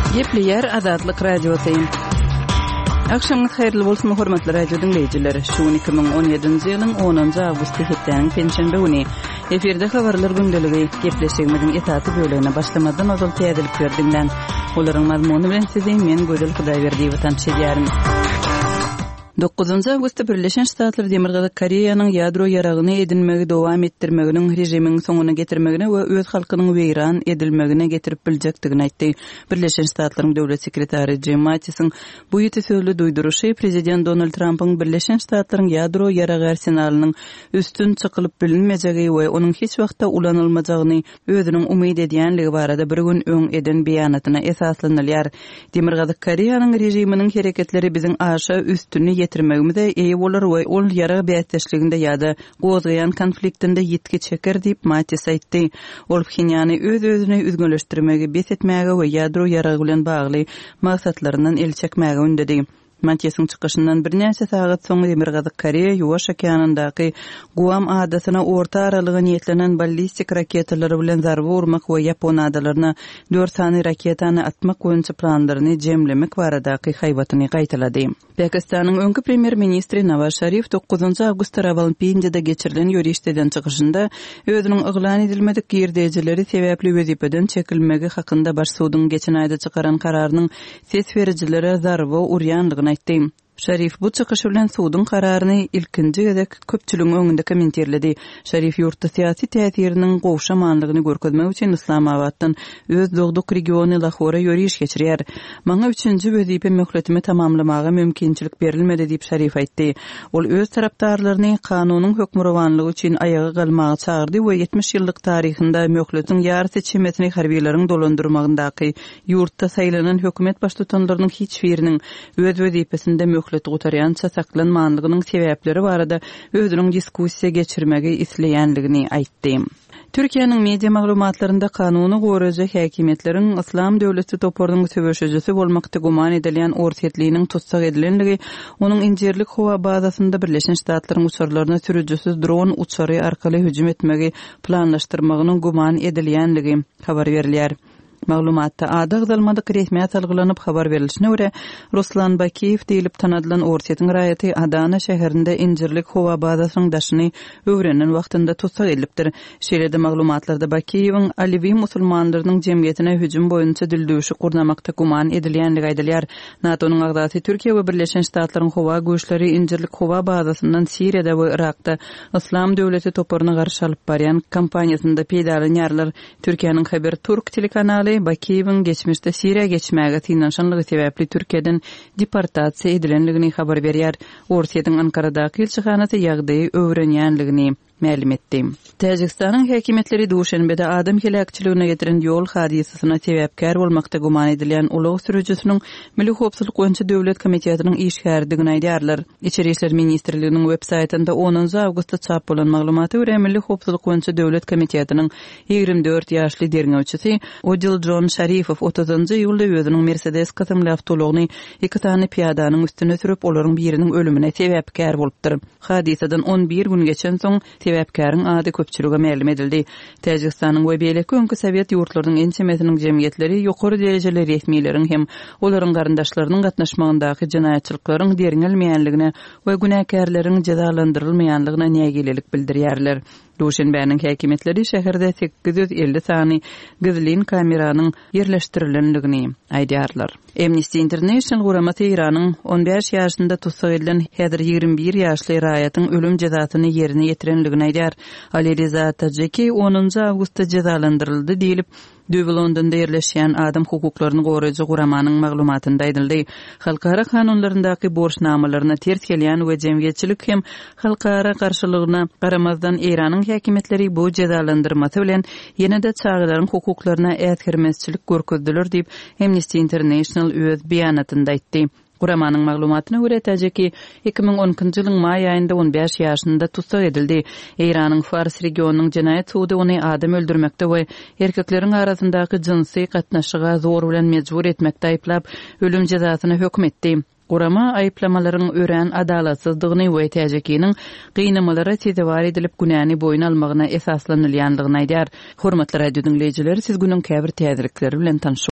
Gepleýär Azatlyk Radiosy. Agşamyňyz haýyrly bolsun, hormatly radio diňleýjiler. Şu gün 2017-nji ýylyň 10-njy awgusty hepdäniň penşenbe güni. Efirde habarlar gündeligi gepleşigimiziň esasy bölegine başlamazdan ozal täzelikleri diňläň. Olaryň mazmuny bilen sizi men Gözel Hudaýberdiýewa tanyş edýärin. Dokuzynjy awgustda Birleşen Ştatlar Demirgazyk Koreýanyň ýadro ýaragyny edinmegi dowam etdirmeginiň režimiň soňuna getirmegine we öz halkynyň weýran edilmegine getirip biljekdigini aýtdy. Birleşen Ştatlaryň Döwlet sekretary Jim Mattisiň bu ýiti sözli duýduryşy prezident Donald Trampyň Birleşen Ştatlaryň ýadro ýaragy arsenalynyň üstün çykylyp bilinmejegi we onuň hiç wagtda ulanylmajagyny özüniň umyt edýänligi barada bir gün öň eden beýanatyna esaslanylýar. Demirgazyk Koreýanyň režiminiň hereketleri biziň aşa üstüni ýetirmegimize eýe bolar we ol ýarag bäsdeşliginde ýa-da gozgaýan konfliktinde ýitgi çeker diýip, Mattis aýtdy. Ol Phenýany öz-özüni üzňeleşdirmegi bes etmäge we ýadro ýaragy bilen bagly maksatlaryndan el çekmäge ündedi. Matisiň çykyşyndan birnäçe sagat soň Demirgazyk Koreýa Ýuwaş okeanyndaky Guam adasyna orta aralyga niýetlenen ballistik raketalary bilen zarba urmak we Ýapon adalaryna dört sany raketany atmak boýunça planlaryny jemlemek baradaky haýbatyny gaýtalady. Pakistanyň öňki premýer-ministri Nawaz Şarif dokuzynjy awgustda Rawalpindide geçirilen ýörişde eden çykyşynda özüniň yglan edilmedik girdejileri sebäpli wezipeden çekilmegi hakynda baş suduň geçen aýda çykaran kararynyň ses berijilere zarba urýandygyny aýtdy. Şarif bu çykyşy bilen suduň kararyny ilkinji gezek köpçüligiň öňünde kommentirledi. Şarif ýurtda syýasy täsiriniň gowşamanlygyny görkezmek üçin Yslamabatdan öz dogduk regiony Lahora ýöriş geçirýär. Maňa üçünji wezipe möhletimi tamamlamaga mümkinçilik berilmedi diýip Şarif aýtdy. Ol öz tarapdarlaryny kanunyň hökmürowanlygy üçin aýaga galmaga çagyrdy we 70 ýyllyk taryhynda möhletiň ýarysy çemesini harbilaryň dolandyrmagyndaky Ýurtda saýlanan hökümet baştutanlarynyň hiç biriniň öz wezipesinde möhleti gutarýança saklanmanlygynyň sebäpleri barada özüniň diskussiýa geçirmegi isleýänligini aýtdy. Türkiýäniň media maglumatlarynda kanuny goraýjy häkimiýetleriň Yslam döwleti toparynyň söweşijisi bolmakda güman edilýän orsýetliniň tussag edilenligi, onuň Injirlik howa bazasynda Birleşen Ştatlaryň uçarlaryna sürüjisiz dron uçary arkaly hüjüm etmegi planlaşdyrmagynyň güman edilýänligi habar berilýär. Maglumatda ady agzalmadyk resmä salgylanyp habar berlişine görä, Ruslan Bakiýew diýlip tanadylan Orsýetiň raýaty Adana şäherinde Injirlik howa bazasynyň daşyny öwrenen wagtynda tussag edilipdir. Şeýle-de maglumatlarda Bakiýewiň Alewi musulmanlarynyň jemgyýetine hüjüm boýunça dildüwşük gurnamakda güman edilýändigi aýdylýar. NATO-nyň agzasy Türkiýe we Birleşen Ştatlaryň howa güýçleri Injirlik howa bazasyndan Siriýada we Yrakda Yslam döwleti toparyna garşy alyp barýan kampaniýasynda peýdalanýarlar. Türkiýäniň Haber Turk telekanaly Bakiýewiň geçmişde Siriýa geçmäge synanyşanlygy sebäpli Türkiýeden deportasiýa edilenligini habar berýär. Orsýetiň Ankaradaky ilçihanasy ýagdaýy öwrenýänligini mälim etdi. Täjigistanyň häkimiýetleri Duşenbede adam heläkçiligine getiren ýol hadysasyna sebäpkär bolmakda güman edilýän ulag sürüjisiniň Milli howpsuzlyk boýunça döwlet komitetiniň işgäridigini aýdýarlar. Içeri işler ministrliginiň web saýtynda onunjy awgustda çap bolan maglumata görä, Milli howpsuzlyk boýunça döwlet komitetiniň 24 ýaşly derňewçisi Odiljon Şarifow otuzynjy iýulda özüniň Mersedes kysymly awtoulagyny iki sany pyýadanyň üstüne sürüp, olaryň biriniň ölümine sebäpkär bolupdyr. Hadysadan on bir gün geçensoň, Sebäpkäriň ady köpçülige mälim edildi. Täjigistanyň we beýleki öňki sowet ýurtlarynyň ençemesiniň jemgyýetleri ýokary derejeli resmileriň hem olaryň garyndaşlarynyň gatnaşmagyndaky jenaýatçylyklaryň derňelmeýänligine we günäkärleriň jezalandyrylmaýanlygyna nägilelik bildirýärler. Duşenbäniň häkimiýetleri şäherde 850 sany gizlin kameranyň ýerleşdirilendigini aýdýarlar. Amnesty International guramasy Eýranyň on bäş ýaşynda tussag edilen häzir 21 ýaşly raýatyň ölüm jezasyny ýerine ýetirendigini aýdýar. Ali Riza Tajiki onunjy awgustda jezalandyryldy diýlip, düýbi Londonda ýerleşýän adam hukuklaryny goraýjy guramanyň maglumatynda aýdyldy. Halkara kanunlaryndaky borçnamalaryna ters gelýän we jemgyýetçilik hem halkara garşylygyna garamazdan Eýranyň häkimiýetleri bu jezalandyrmasy bilen ýene-de çagalaryň hukuklaryna äsgermezçilik görkezdiler diýip, Amnesty International öz beýanatynda aýtdy. Guramanyň maglumatyna görä, Täjeki 2012-nji ýylyň maý aýynda on bäş ýaşynda tussag edildi. Eýranyň Fars regionynyň jenaýat sudy ony adam öldürmekde we erkekleriň arasyndaky jynsy gatnaşyga zor bilen mejbur etmekde aýyplap, ölüm jezasyna höküm etdi. Gurama aýyplamalaryň örän adalatsyzdygyny we Täjekiniň gynamalara sezewar edilip günäni boýun almagyna esaslanylýandygyny aýdýar. Hormatly radio diňleýjiler, siz günüň käbir täzelikleri bilen tanyş.